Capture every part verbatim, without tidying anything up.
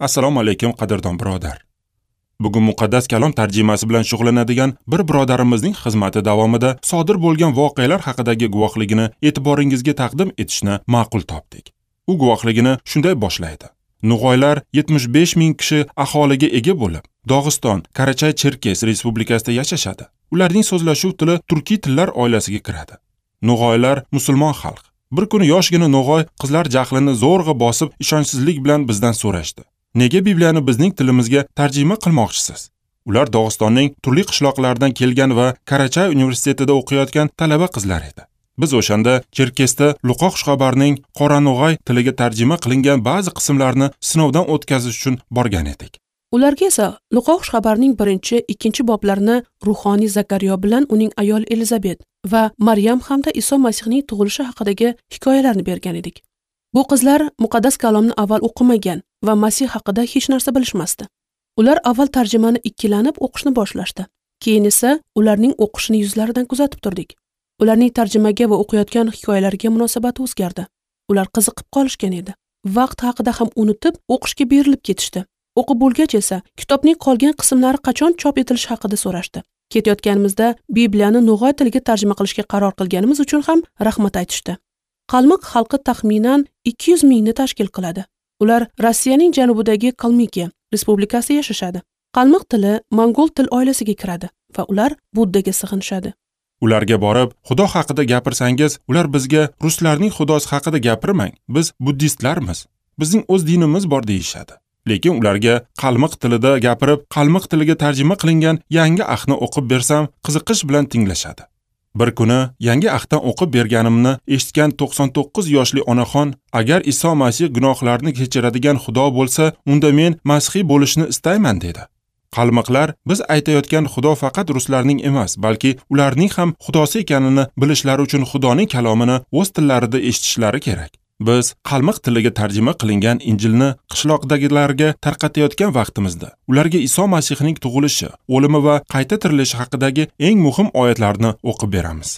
Assalomu alaykum, qadrdon birodar. Bugun muqaddas kalom tarjimasi bilan shug'ullanadigan bir birodarimizning xizmati davomida sodir bo'lgan voqealar haqidagi guvohligini e'tiboringizga taqdim etishni ma'qul topdik. U guvohligini shunday boshlaydi. No'g'aylar yetmish besh ming kishi aholiga ega bo'lib, Dog'iston, Karachay-Cherkes respublikasida yashashadi. Ularning so'zlashuv tili turkiy tillar oilasiga kiradi. No'g'aylar musulmon xalq. Bir kuni yoshgina no'g'ay qizlar jahlini zo'rg'a bosib, ishonchsizlik bilan bizdan so'rashdi. Nega Bibliyani bizning tilimizga tarjima qilmoqchisiz? Ular Dog'istonning turli qishloqlaridan kelgan va Karachay universitetida o'qiyotgan talaba qizlar edi. Biz o'shanda Cherkesda Luqo xushxabarning Qorano'g'ay tiliga tarjima qilingan ba'zi qismlarini sinovdan o'tkazish uchun borgan edik. Ularga esa Luqo xushxabarning birinchi, ikkinchi boblarini ruhoniy Zakariyo bilan uning ayoli Elizabet va Maryam hamda Iso Masihning tug'ilishi haqidagi hikoyalarni bergan edik. Bu qizlar muqaddas kalomni avval o'qimagan va Masih haqida hech narsa bilishmasdi. Ular avval tarjimani ikkilanib o'qishni boshlashdi. Keyin esa ularning o'qishini yuzlaridan kuzatib turdik. Ularning tarjimaga va o'qiyotgan hikoyalarga munosabati o'zgardi. Ular qiziqib qolishgan edi. Vaqt haqida ham unutib, o'qishga berilib ketishdi. O'qib bo'lgach esa kitobning qolgan qismlari qachon chop etilishi haqida so'rashdi. Ketayotganimizda Bibliyani no'g'ay tiliga tarjima qilishga qaror qilganimiz uchun ham rahmat aytishdi. Qalmiq xalqi taxminan ikki yuz mingni tashkil qiladi. Ular Rossiyaning janubidagi Kalmikiya respublikasida yashashadi. Qalmiq tili mongol til oilasiga kiradi va ular Buddaga sig'inishadi. Ularga borib, Xudo haqida gapirsangiz, ular bizga ruslarning xudosi haqida gapirmang, biz buddistlarmiz, bizning o'z dinimiz bor deyishadi. Lekin ularga qalmiq tilida gapirib, qalmiq tiliga tarjima qilingan yangi ahdni o'qib bersam, qiziqish bilan tinglashadi. Bir kuni yangi ahddan o'qib berganimni eshitgan to'qson to'qqiz yoshli onaxon, agar Iso Masih gunohlarni kechiradigan Xudo bo'lsa, unda men masihiy bo'lishni istayman dedi. Qalmiqlar biz aytayotgan Xudo faqat ruslarning emas, balki ularning ham xudosi ekanini bilishlari uchun Xudoning kalomini o'z tillarida eshitishlari kerak. Biz qalmiq tiliga tarjima qilingan Injilni qishloqdagilarga tarqatayotgan vaqtimizda ularga Iso Masihning tug'ilishi, o'limi va qayta tirilishi haqidagi eng muhim oyatlarni o'qib beramiz.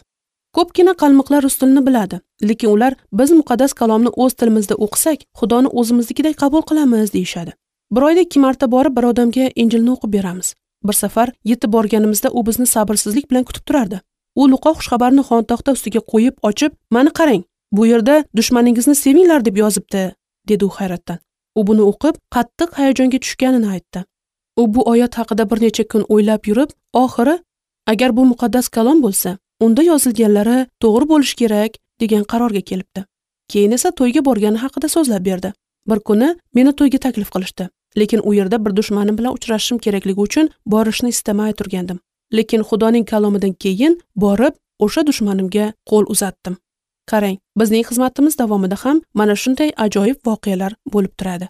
Ko'pgina qalmiqlar rus tilini biladi, lekin ular biz muqaddas kalomni o'z tilimizda o'qisak, Xudoni o'zimiznikidek qabul qilamiz deyishadi. Bir oyda ikki marta borib bir odamga Injilni o'qib beramiz. Bir safar yetib borganimizda u bizni sabrsizlik bilan kutib turardi. U Luqo xushxabarni xontaxta ustiga qo'yib ochib, "Mana qarang, bu yerda dushmaningizni sevinglar deb yozibdi", dedi u hayratdan. U buni o'qib, qattiq hayajonga tushganini aytdi. U bu oyat haqida bir necha kun o'ylab yurib, oxiri agar bu muqaddas kalom bo'lsa, unda yozilganlari to'g'ri bo'lishi kerak degan qarorga kelibdi. Keyin esa to'yga borgani haqida so'zlab berdi. Bir kuni meni to'yga taklif qilishdi. Lekin u yerda bir dushmanim bilan uchrashishim kerakligi uchun borishni istamay turgandim. Lekin Xudoning kalomidan keyin borib o'sha dushmanimga qo'l uzatdim. Qarang, bizning xizmatimiz davomida ham mana shunday ajoyib voqealar bo'lib turadi.